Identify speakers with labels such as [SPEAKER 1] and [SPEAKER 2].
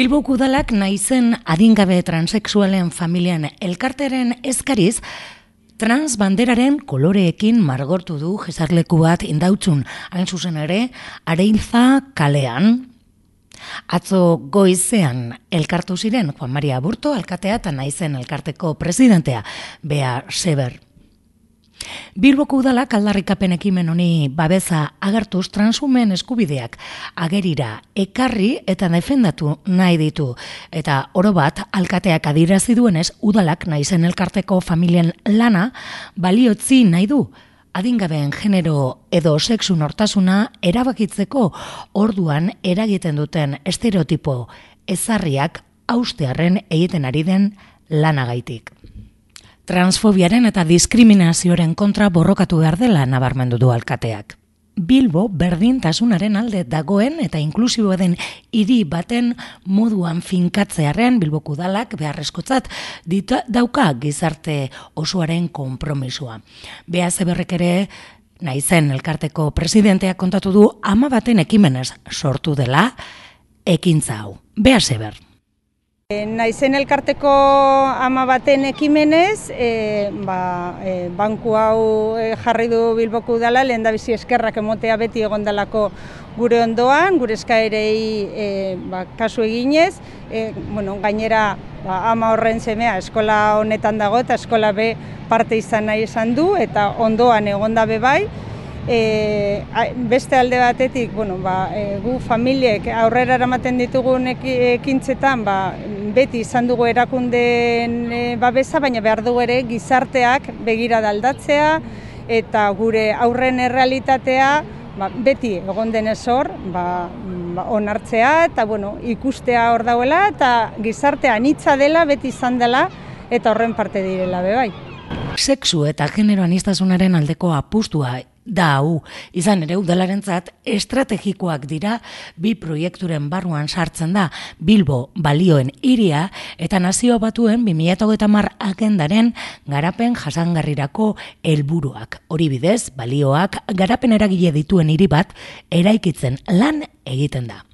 [SPEAKER 1] Bilboko udalak naizen adingabe transexualen familian elkarteren eskariz, transbanderaren koloreekin margortu du jesarleku bat Indautzun, hain zuzen ere, Areilza kalean. Atzo goizean elkartu ziren Juan Maria Aburto alkatea eta naizen elkarteko presidentea, Bea Seber. Bilboko udalak aldarrikapen ekimen honi babesa agertuz transumen eskubideak agerira ekarri eta defendatu nahi ditu. Eta orobat alkateak adierazi duenez udalak naizen elkarteko familien lana baliotzi nahi du. Adingabeen genero edo sexu nortasuna erabakitzeko orduan eragiten duten estereotipo ezarriak haustearren egiten ari den lanagaitik. Transfobiaren eta diskriminazioaren kontra borrokatu behar dela nabarmendu du alkateak. Bilbo berdintasunaren alde dagoen eta inklusibo den hiri baten moduan finkatzearren Bilboko udalak beharrezkotzat dauka gizarte osoaren konpromisoa. Bea Seberrek ere naizen elkarteko presidenteak kontatu du 10 ekimenez sortu dela ekintza hau. Bea Seber.
[SPEAKER 2] Naizen elkarteko 10 ekimenez, banku hau jarri du Bilboko udala, lehendabizi eskerrak emotea beti egondalako gure ondoan, gure eskaerei kasu eginez, gainera ama horren semea eskola honetan dago eta eskola B parte izan nahi esan du eta ondoan egondabe bai. Beste alde batetik, gu familiek aurrera eramaten ditugun ekintzetan beti izan dugu erakundeen babesa, baina behar dugu ere gizarteak begirada aldatzea eta gure aurren errealitatea beti egon denez hor onartzea eta ikustea hor dauela eta gizartea anitza dela, beti izan dela eta horren parte direla bai.
[SPEAKER 1] Sexu eta genero aniztasunaren aldeko apustua da hau, izan ere udalarentzat estrategikoak dira bi proiekturen barruan sartzen da Bilbo balioen hiria eta Nazio Batuen 2030 agendaren garapen jasangarrirako helburuak. Hori bidez, balioak garapen eragile dituen hiri bat eraikitzen lan egiten da.